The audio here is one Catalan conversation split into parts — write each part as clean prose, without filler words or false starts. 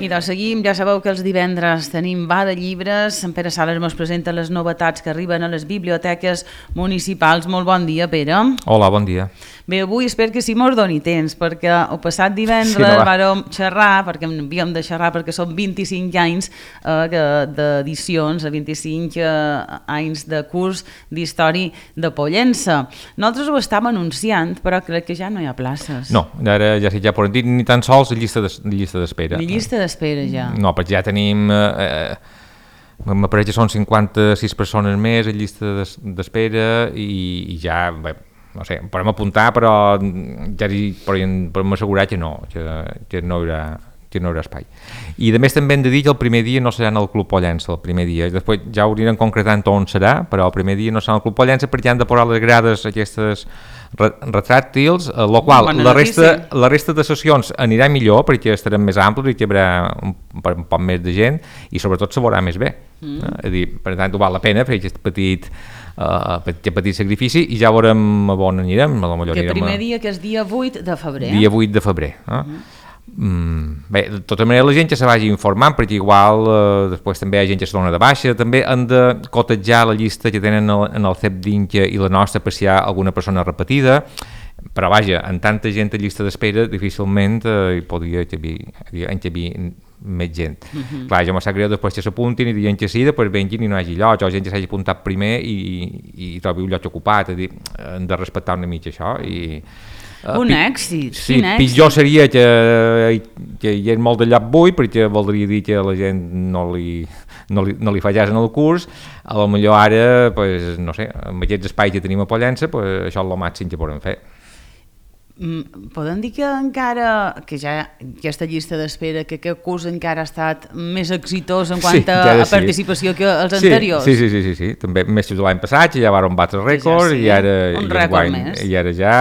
I doncs seguim, ja sabeu que els divendres tenim Va de Llibres, en Pere Sales ens presenta les novetats que arriben a les biblioteques municipals. Molt bon dia, Pere. Hola, bon dia. Bé, avui espero que sí mos doni temps, perquè el passat divendres vàrem xerrar, perquè havíem de xerrar perquè són 25 anys d'edicions, 25 anys de curs d'història de Pollença. Nosaltres ho estàvem anunciant, però crec que ja no hi ha places. No, ara ja podem dir ni tan sols llista d'espera. Ni llista d'espera ja. No, perquè ja tenim... m'apareix que són 56 persones més en llista d'espera i ja... Bé, no sé, podem apuntar, però ja podem assegurar que no hi haurà espai. I a més també hem de dir que el primer dia no serà en el Club Pollença, el primer dia. Després ja ho anirem concretant on serà, però el primer dia no serà en el Club Pollença perquè han de posar les grades aquestes retràctils, la qual la resta de sessions anirà millor perquè estarem més amplis i hi haurà un poc més de gent i sobretot se veurà més bé. És a dir, per tant, ho val la pena fer aquest petit sacrifici i ja veurem on anirem. Que el primer dia, que és dia 8 de febrer. Dia 8 de febrer. Bé, de tota manera la gent que se vagi informant perquè igual després també hi ha gent que se dona de baixa, també han de cotejar la llista que tenen en el CEP d'Inca i la nostra per si hi ha alguna persona repetida, però vaja, amb tanta gent a llista d'espera difícilment hi podria encabir més gent. Clar, ja m'ho sap greu després que s'apuntin i diuen que sí, després venguin i no hi hagi lloc, o gent que s'hagi apuntat primer i trobi un lloc ocupat, és a dir, hem de respectar una mica això i... Un èxit, sí, pitjor seria que hi hagués molt de lloc buit perquè voldria dir que la gent no li fallés en el curs. A lo millor ara, pues, no sé, amb aquests espais que tenim a Pollença, pues, això és el màxim que podem fer. Podem dir que encara, que ja aquesta llista d'espera, que aquest curs encara ha estat més exitós en quant a participació que els anteriors? Sí, també més que l'any passat, ja varen batre rècords i ara ja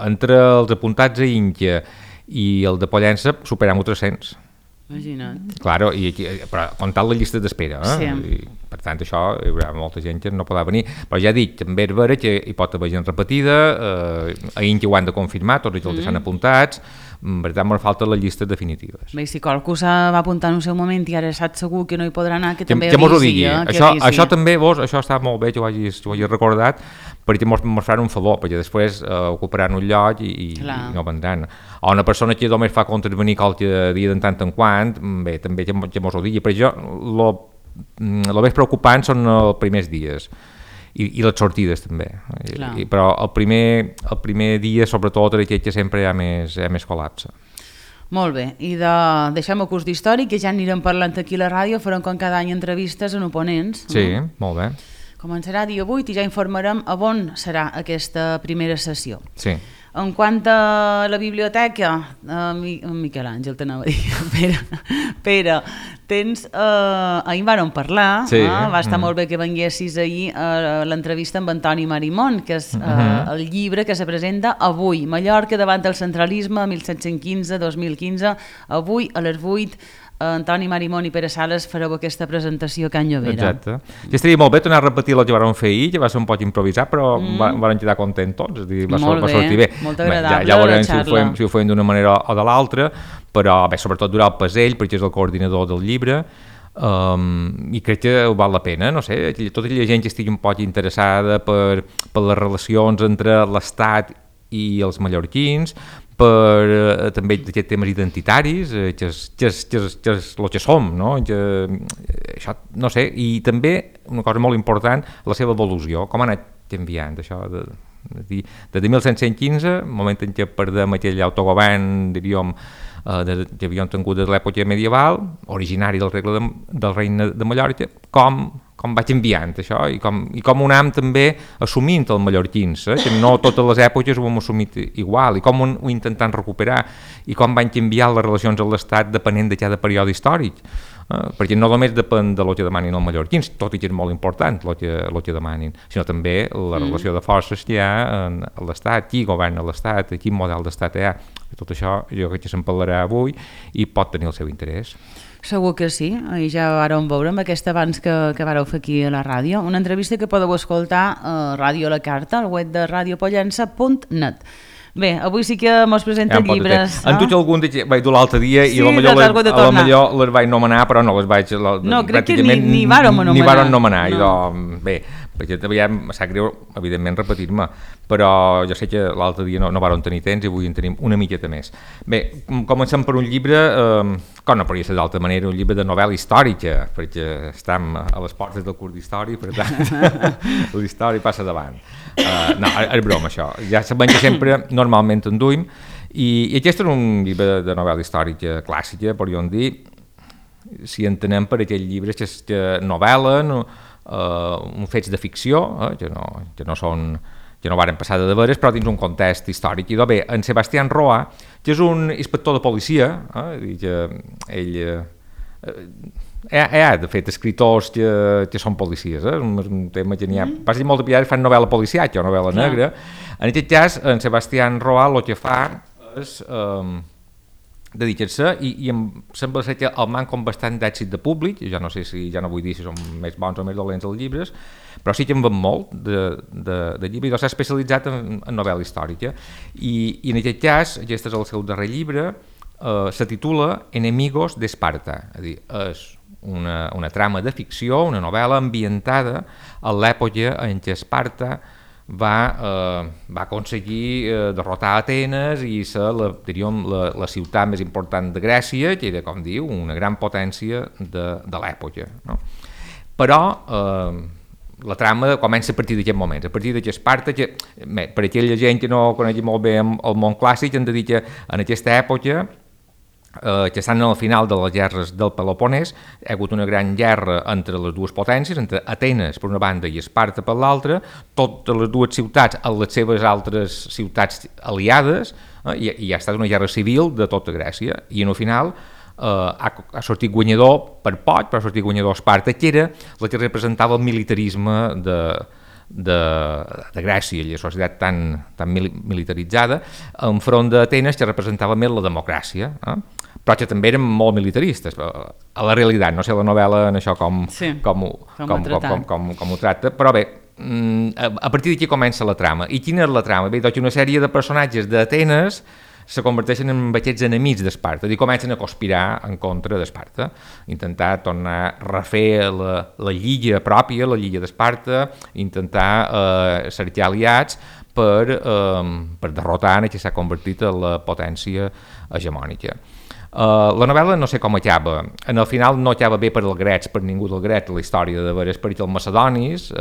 entre els apuntats a Inca i el de Pollença superem 300. Imagina't. Claro, però comptant la llista d'espera, Sí. I, per tant això hi haurà molta gent que no podrà venir, però ja dic, també és vera que hi pot haver gent repetida, a Inca ho han de confirmar, tots els que s'han apuntats, per tant, ens falten les llistes definitives. Bé, si qualcú va apuntar en un seu moment i ara sap segur que no hi podrà anar, que també avisi. Que mos ho digui. Això també, això està molt bé que ho hagis recordat, perquè mos faran un favor, perquè després ocuparan un lloc i no vendran. O una persona que només fa contravenir qualque dia de tant en quant, bé, també que mos ho digui. Per això, el més preocupant són els primers dies i les sortides també. Però el primer dia, sobretot, és que sempre hi ha més col·lapse. Molt bé, i deixem el curs d'història, que ja anirem parlant aquí a la ràdio, farem com cada any entrevistes en oponents. Sí, molt bé. Començarà dia 8 i ja informarem a on serà aquesta primera sessió. Sí. En quant a la biblioteca, Miquel Àngel t'anava a dir, Pere, tens, ahir vàrem parlar, va estar molt bé que venguessis ahir a l'entrevista amb Antoni Marimon, que és el llibre que se presenta avui, Mallorca davant del centralisme, 1715-2015, avui a les 8, Antoni Marimon i Pere Sales fareu aquesta presentació a Can Llobera. Exacte. Ja estaria molt bé tornar a repetir el que vam fer ahir, que va ser un poc improvisat, però vam quedar contents tots, és a dir, va sortir bé. Molt agradable ja veurem si ho fem d'una manera o de l'altra, però bé, sobretot durar el Pasell, perquè és el coordinador del llibre, i crec que val la pena, no sé, tota aquella gent que estigui un poc interessada per les relacions entre l'Estat i els mallorquins, per també aquests temes identitaris, que és el que som, no? Això, no sé, i també una cosa molt important, la seva evolució, com ha anat canviant això des de 1115, moment en què perdem aquell autogovern, diríem, que havíem tingut de l'època medieval, originari del regne de Mallorca, com va canviant això i com ho anem també assumint els mallorquins, que no totes les èpoques ho hem assumit igual, i com ho intentant recuperar, i com van canviar les relacions amb l'Estat depenent de cada període històric, perquè no només depèn de lo que demanin els mallorquins, tot i que és molt important lo que demanin, sinó també la relació de forces que hi ha a l'Estat, qui governa l'Estat, quin model d'Estat hi ha. Tot això jo crec que se'n parlarà avui i pot tenir el seu interès. Segur que sí, i ja vareu veure amb aquest abans que vareu fer aquí a la ràdio, una entrevista que podeu escoltar a Ràdio La Carta, al web de radiopollença.net. Bé, avui sí que mos presenten llibres. En tots algun vaig dur l'altre dia i potser les vaig nomenar, però no les vaig... No, crec que ni vàrem nomenar. Ni vàrem nomenar, bé, perquè em sap greu, evidentment, repetir-me, però jo sé que l'altre dia no vàrem tenir temps i avui en tenim una miqueta més. Bé, comencem per un llibre, com no podria ser d'altra manera, un llibre de novel·la històrica, perquè estem a les portes del curs d'història, per tant, la història passa davant. No, és broma, això. Ja sabem que sempre, normalment, en duim, i aquest és un llibre de novel·la històrica clàssica, podríem dir, si entenem per aquells llibres que novel·len, fets de ficció, que no varen passar de veres, però dins un context històric. I bé, en Sebastián Roa, que és un inspector de policia, que ell hi ha, de fet, escriptors que són policies, un tema que n'hi ha, passa molt de pillar, fan novel·la policiatge o novel·la negra. En aquest cas, en Sebastián Roa el que fa és dedicar-se, i em sembla ser que el manca bastant d'èxit de públic, ja no sé si, ja no vull dir si són més bons o més dolents els llibres, però sí que en ven molt de llibres, i s'ha especialitzat en novel·la històrica, i en aquest cas, aquest és el seu darrer llibre, se titula Enemigos d'Esparta, és a dir, és una trama de ficció, una novel·la ambientada a l'època en què Esparta va aconseguir derrotar Atenes i ser la ciutat més important de Grècia, que era, com diu, una gran potència de l'època. No? Però la trama comença a partir d'aquest moment, a partir que Esparta, per aquella gent que no conegui molt bé el món clàssic, hem de dir que en aquesta època, que estan al final de les guerres del Peloponès, hi ha hagut una gran guerra entre les dues potències, entre Atenes per una banda i Esparta per l'altra, totes les dues ciutats a les seves altres ciutats aliades, i ha estat una guerra civil de tota Grècia, i al final ha sortit guanyador per poc, però ha sortit guanyador Esparta, que era la que representava el militarisme de Grècia, la societat tan militaritzada, enfront d'Atenes, que representava més la democràcia, però que també eren molt militaristes, a la realitat, no sé la novel·la en això com ho tracta, però bé, a partir d'aquí comença la trama. I quina és la trama? Bé, doncs una sèrie de personatges d'Atenes se converteixen en aquests enemics d'Esparta i comencen a conspirar en contra d'Esparta, intentar tornar a refer la lliga pròpia, la lliga d'Esparta, intentar cercar aliats per derrotar en què s'ha convertit en la potència hegemònica. La novel·la no sé com acaba, en el final no acaba bé per als grecs, per ningú dels grecs, la història de veres, perquè els macedonis,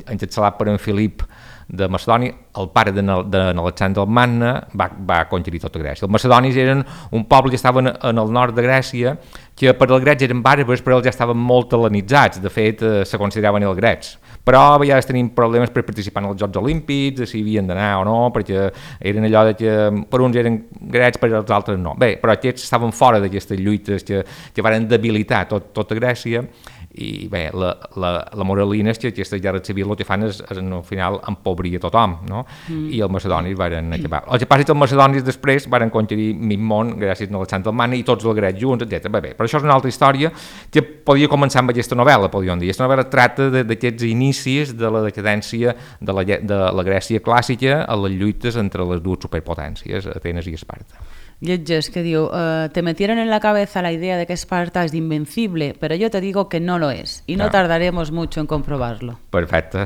encapçalat per en Filip de Macedònia, el pare d'Alexandre el Magne, va conquerir tota Grècia. Els macedonis eren un poble que estava en el nord de Grècia, que per als grecs eren bàrbars, però ells ja estaven molt hel·lenitzats, de fet se consideraven els grecs. Però a vegades tenim problemes per participar en els Jocs Olímpics, si havien d'anar o no, perquè eren allò de que per uns eren grecs, per als altres no. Bé, però aquests estaven fora d'aquestes lluites que van debilitar tota Grècia, i bé, la moralina és que aquesta guerra civil el que fan és al final empobrir a tothom, no? I els macedonis van acabar. El que passa és que els macedonis després van conquerir mig món gràcies a Alexandre el Magne i tots els grecs junts, etc. Bé, però això és una altra història que podia començar amb aquesta novel·la, podríem dir. Aquesta novel·la tracta d'aquests inicis de la decadència de la Grècia clàssica a les lluites entre les dues superpotències, Atenes i Esparta. llegeix que diu te metieron en la cabeza la idea de que Esparta es invencible, pero yo te digo que no lo es y no tardaremos mucho en comprobarlo. Perfecte.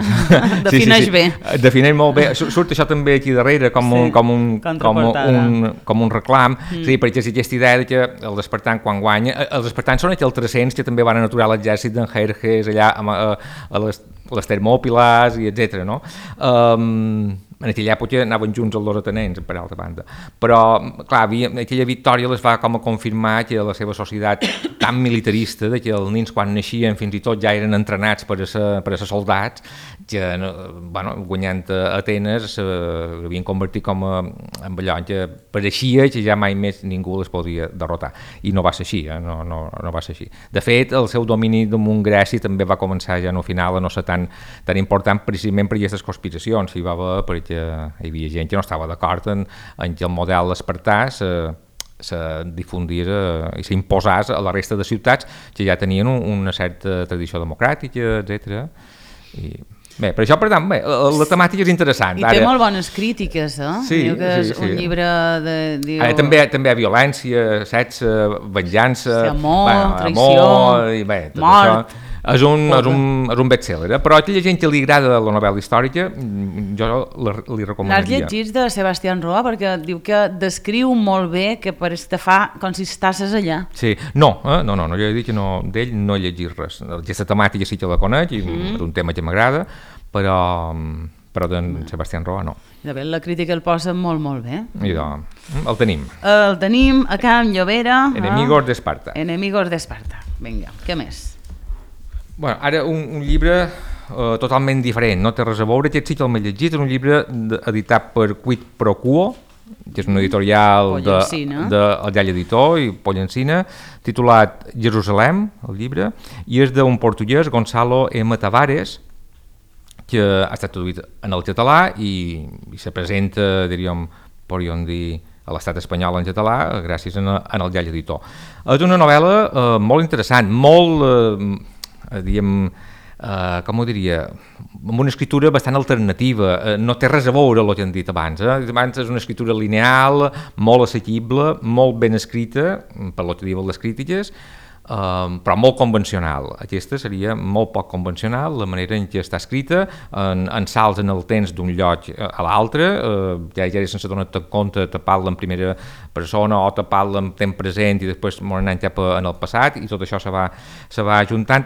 Defineix bé. Defineix molt bé. Surt això també aquí darrere com un reclam. Sí, perquè és aquesta idea que els espartans quan guanya... Els espartans són aquells 300 que també van aturar l'exèrcit d'en Jerjes allà a les Termòpiles i etc. No? En aquella època anaven junts els dos atenents, per altra banda. Però, clar, aquella victòria les va com a confirmar que la seva societat tan militarista, que els nens quan naixien fins i tot ja eren entrenats per a ser soldats, que guanyant a Atenes s'havien convertit com en allò que pareixia que ja mai més ningú les podia derrotar. I no va ser així, no va ser així. De fet, el seu domini damunt Grècia també va començar ja no final a no ser tan important precisament per aquestes conspiracions. Hi va haver perquè hi havia gent que no estava d'acord en que el model espartà se difundís i s'imposés a la resta de ciutats que ja tenien una certa tradició democràtica, etc. Bé, per això, per tant, la temàtica és interessant. I té molt bones crítiques, Sí, diu que és un llibre de... Ara també hi ha violència, sexe, venjança... Amor, traïció, mort... És un best-seller, però a aquella gent que li agrada la novel·la històrica, jo li recomanaria. L'has llegit de Sebastián Roa, perquè diu que descriu molt bé que pareix que fa com si estàs allà. Sí, no, jo he dit que d'ell no he llegit res. Aquesta temàtica sí que la conec, i és un tema que m'agrada, però d'en Sebastián Roa no. De fet, la crítica el posa molt, molt bé. El tenim. El tenim a Can Llobera. Enemigos d'Esparta. Enemigos d'Esparta. Vinga, què més? Bueno, ara un llibre totalment diferent, no té res a veure, aquest sí que l'he llegit, és un llibre editat per Quid Pro Quo, que és una editorial del Llall Editor i Pollancina, titulat Jerusalem, el llibre, i és d'un portuguès, Gonçalo M. Tavares, que ha estat traduït en el català i se presenta, podríem dir, a l'estat espanyol en català, gràcies en el Llall Editor. És una novel·la molt interessant, molt... com ho diria, amb una escritura bastant alternativa, no té res a veure el que hem dit abans. Abans és una escritura lineal, molt assequible, molt ben escrita, per lo que diuen les crítiques, però molt convencional. Aquesta seria molt poc convencional, la manera en què està escrita, en salts en el temps d'un lloc a l'altre, ja sense donar-te compte te parla en primera persona o te parla en temps present i després anant cap en el passat, i tot això se va ajuntant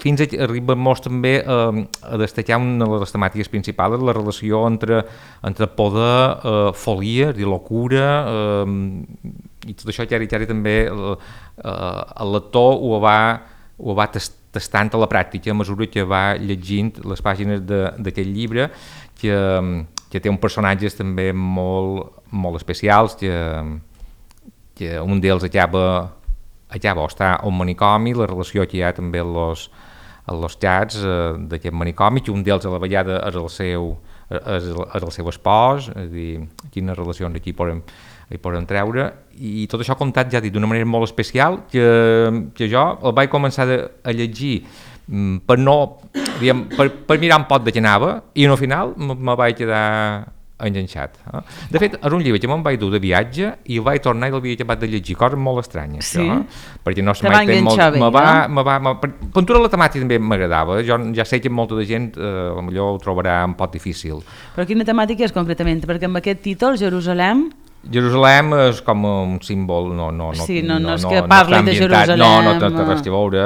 fins a arribar molt també a destacar una de les temàtiques principals, la relació entre poder, folia, és a dir, locura, i tot això que ara també el lector ho va tastant a la pràctica a mesura que va llegint les pàgines d'aquest llibre, que té uns personatges també molt especials, que un d'ells acaba o està a un manicomi, la relació que hi ha també a los xats d'aquest manicomi, que un d'ells a la vegada és el seu espòs, és a dir, quines relacions aquí podem treure, i tot això comptat, ja dic, d'una manera molt especial, que jo el vaig començar a llegir per mirar un pot de què anava, i al final me vaig quedar enganxat. De fet, és un llibre que me'n vaig dur de viatge i el vaig tornar i l'havia acabat de llegir, coses molt estranyes. Sí? Perquè no se m'ha enganxat bé, no? Pintura la temàtica també m'agradava, jo ja sé que molta de gent potser ho trobarà un pot difícil. Però quina temàtica és concretament? Perquè amb aquest títol, Jerusalem és com un símbol, no és que parli de Jerusalem. No té res a veure.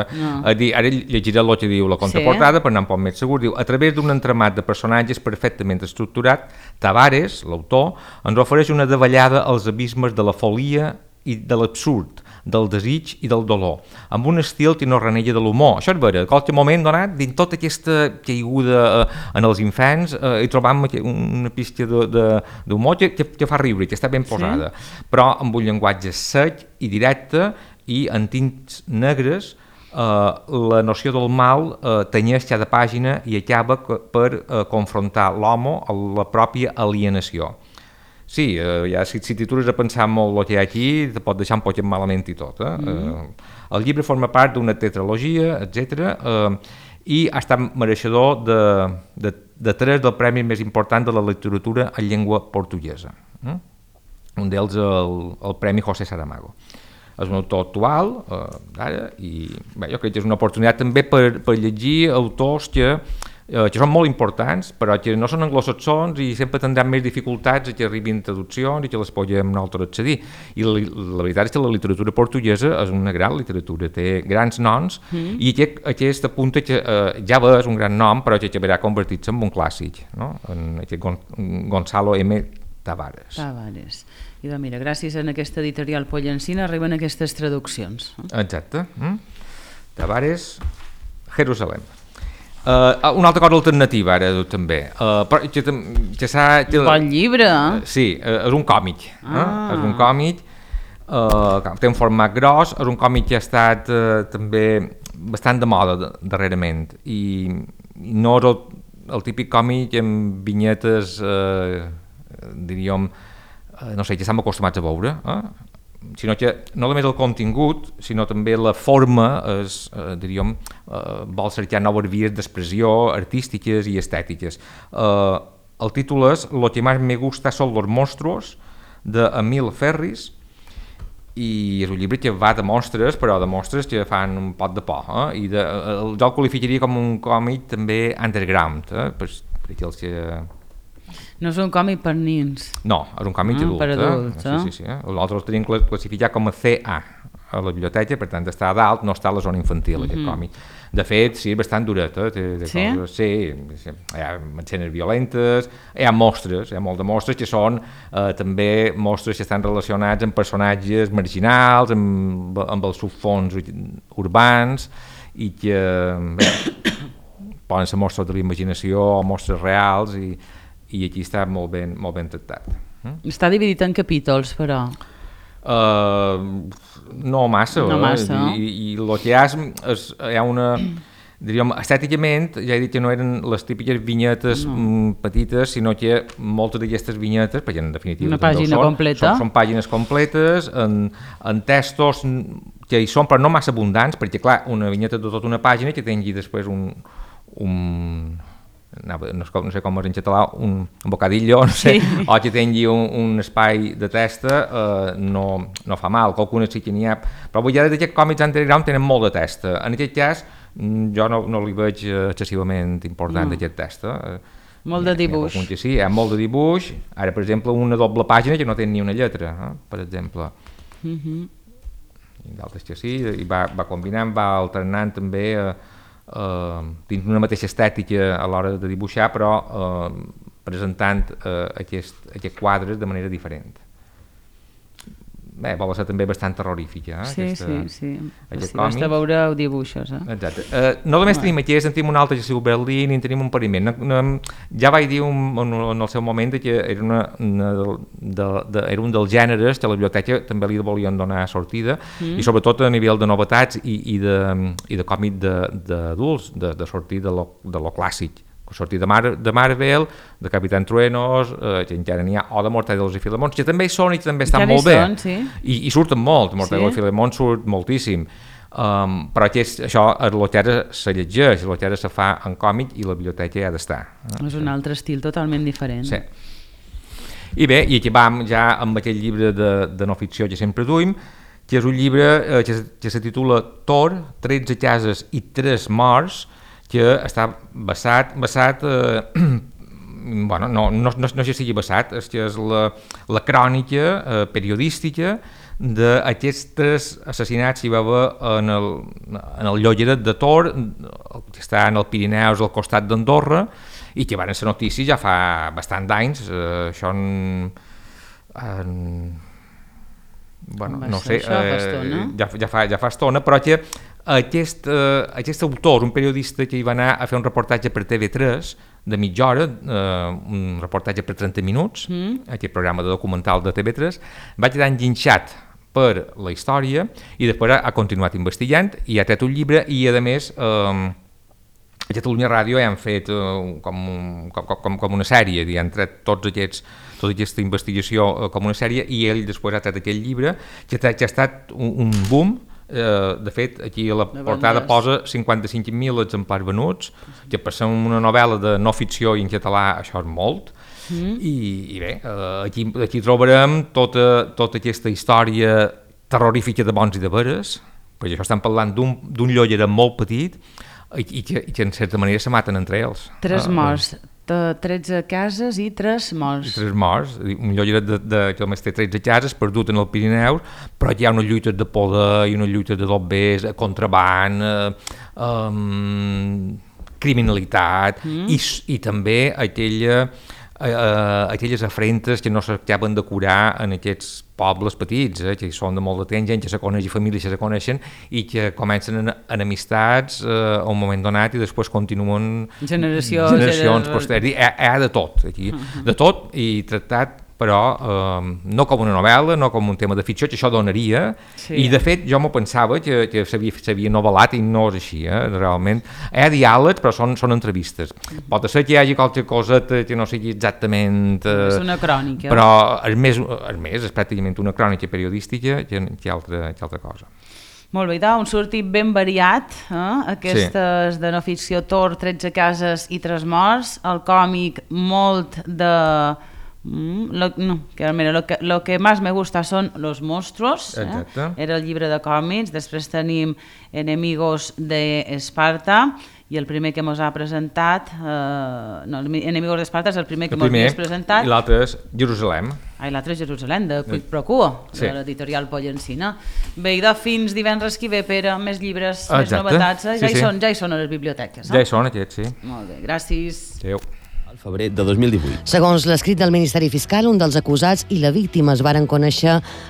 Ara llegiré el que diu la contraportada, per anar un poc més segur. Diu, a través d'un entramat de personatges perfectament estructurat, Tavares, l'autor, ens ofereix una davallada als abismes de la folia i de l'absurd, del desig i del dolor, amb un estil que no renega de l'humor. Això és vera, a qualsevol moment donat, dins tota aquesta caiguda en els infants, hi trobam una pista d'humor que fa riure, que està ben posada, però amb un llenguatge sec i directe i en tints negres. La noció del mal tenyeix cada pàgina i acaba per confrontar l'home a la pròpia alienació. Sí, ja si t'atures a pensar molt el que hi ha aquí, te pot deixar un poc malament i tot. El llibre forma part d'una tetralogia, etc. I ha estat mereixedor de 3 del premi més important de la literatura en llengua portuguesa. Un un d'ells el Premi José Saramago. És un autor actual, d'ara, i bé, jo crec que és una oportunitat també per llegir autors que són molt importants, però que no són anglosaxons i sempre tindran més dificultats que arribin traduccions i que les podem nosaltres accedir. I la veritat és que la literatura portuguesa és una gran literatura, té grans noms, i aquest apunta que ja és un gran nom, però que acabarà convertir-se en un clàssic, no? En aquest Gonzalo M. Tavares. I doncs mira, gràcies a aquesta editorial Pollancina arriben aquestes traduccions. Exacte. Tavares, Jerusalem. Una altra cosa alternativa ara també. Bon llibre! Sí, és un còmic. És un còmic, té un format gros, és un còmic que ha estat també bastant de moda darrerament i no és el típic còmic amb vinyetes, diríem, no sé, que estem acostumats a veure, sinó que no només el contingut, sinó també la forma diríem, vol cercar noves vies d'expressió artístiques i estètiques. El títol és Lo que más me gusta son los monstruos, d'Emil Ferris, i és un llibre que va de monstres, però de monstres que fan un pot de por. Jo el qualificaria com un còmic també underground, per aquells que... No és un còmic per nins. No, és un còmic adult. Per adults, Sí. Nosaltres el tenim classificat com a CA a la biblioteca, per tant està a dalt, no està a la zona infantil, aquest còmic. De fet, sí, és bastant duret. Sí? Sí, hi ha escenes violentes, hi ha mostres, hi ha molt de mostres que són també mostres que estan relacionats amb personatges marginals, amb els subfons urbans, i que poden ser mostres de la imaginació o mostres reals, i aquí està molt ben tractat. Està dividit en capítols, però? No massa. I el que hi ha una... Diríem, estèticament, ja he dit que no eren les típiques vinyetes petites, sinó que moltes d'aquestes vinyetes, perquè en definitiva una pàgina completa. Són pàgines completes, en textos que hi són, però no massa abundants, perquè clar, una vinyeta de tota una pàgina que tingui després no sé com és en català, un bocadillo, no sé, sí. O que tingui un espai de testa, no fa mal, qualcunes sí que n'hi ha, però avui ja d'aquests còmics underground tenen molt de testa. En aquest cas, jo no li veig excessivament important d'aquest testa. Molt de dibuix. Sí, hi ha molt de dibuix. Ara, per exemple, una doble pàgina que no té ni una lletra, per exemple. I d'altres que sí, i va combinant, va alternant també dins una mateixa estètica a l'hora de dibuixar, però presentant aquests quadres de manera diferent. Bé, vol ser també bastant terrorífica. Sí. Basta veure dibuixos. Exacte. No només tenim aquí, tenim un altre que es diu Berlín i en tenim un pariment. Ja vaig dir en el seu moment que era un dels gèneres que a la biblioteca també li volien donar sortida, i sobretot a nivell de novetats i de còmic d'adults, de sortir de lo clàssic. Sortir de Marvel, de Capitán Truenos, que encara n'hi ha, o de Mortadelos i Filemons, que també hi són i també estan molt bé. I surten molt, Mortadelos i Filemons surt moltíssim. Però això el que ara se llegeix, el que ara se fa en còmic i la biblioteca hi ha d'estar. És un altre estil totalment diferent. Sí. I bé, i aquí vam ja amb aquell llibre de no ficció que sempre duim, que és un llibre que se titula Thor, 13 cases i 3 morts, que està basat bueno, no sé si sigui basat, és que és la crònica periodística d'aquests assassinats que hi va haver en el llogaret de Tor, que està en el Pirineus al costat d'Andorra, i que van ser notícies ja fa bastant d'anys. Això bueno, no sé, ja fa estona, però que aquest autor, un periodista que hi va anar a fer un reportatge per TV3 de mitja hora, un reportatge per 30 minuts, aquest programa de documental de TV3, va quedar enginxat per la història i després ha continuat investigant i ha tret un llibre, i a més a Catalunya Ràdio han fet com una sèrie, han tret tota aquesta investigació com una sèrie, i ell després ha tret aquell llibre que ha estat un boom. De fet, aquí a la portada posa 55.000 exemplars venuts, que per ser una novel·la de no ficció i en català això és molt, I bé, aquí trobarem tota aquesta història terrorífica de bons i de veres, perquè això estem parlant d'un llollera molt petit i que en certa manera se maten entre ells. 3 morts, 13 cases i 3 morts. 3 morts, un llolleret que només té 13 cases, perdut en el Pirineu, però hi ha unes lluites de poder i unes lluites de dobbers, contraband, criminalitat i també aquelles afrentes que no s'acaben de curar en aquests pobles petits, que són de molt de temps, gent que se coneix i famílies que se coneixen i que comencen en amistats a un moment donat i després continuen generacions posteriors. Hi ha de tot aquí, de tot i tractat però no com una novel·la, no com un tema de ficció, que això donaria, i de fet jo m'ho pensava que s'havia novel·lat i no és així, realment. Hi ha diàlegs, però són entrevistes. Pot ser que hi hagi qualque cosa que no sigui exactament... És una crònica. Però és pràcticament una crònica periodística que altra cosa. Molt bé, doncs, un sortit ben variat, aquestes de no ficció, Tor, 13 cases i 3 morts, el còmic molt de... lo que más me gusta son los monstruos, era el llibre de còmics. Després tenim Enemigos de Esparta i el primer que mos ha presentat Enemigos d'Esparta és el primer que mos has presentat, i l'altre és Jerusalem, l'altre és Jerusalem, de Quid Pro Quo, de l'editorial Pollencina. Bé, i de fins divendres que ve, Pere, més llibres, més novetats, ja hi són a les biblioteques. Ja hi són aquests, sí. Molt bé, gràcies. Adéu. Al febrer de 2018. Segons l'escrit del Ministeri Fiscal, un dels acusats i la víctima es varen conèixer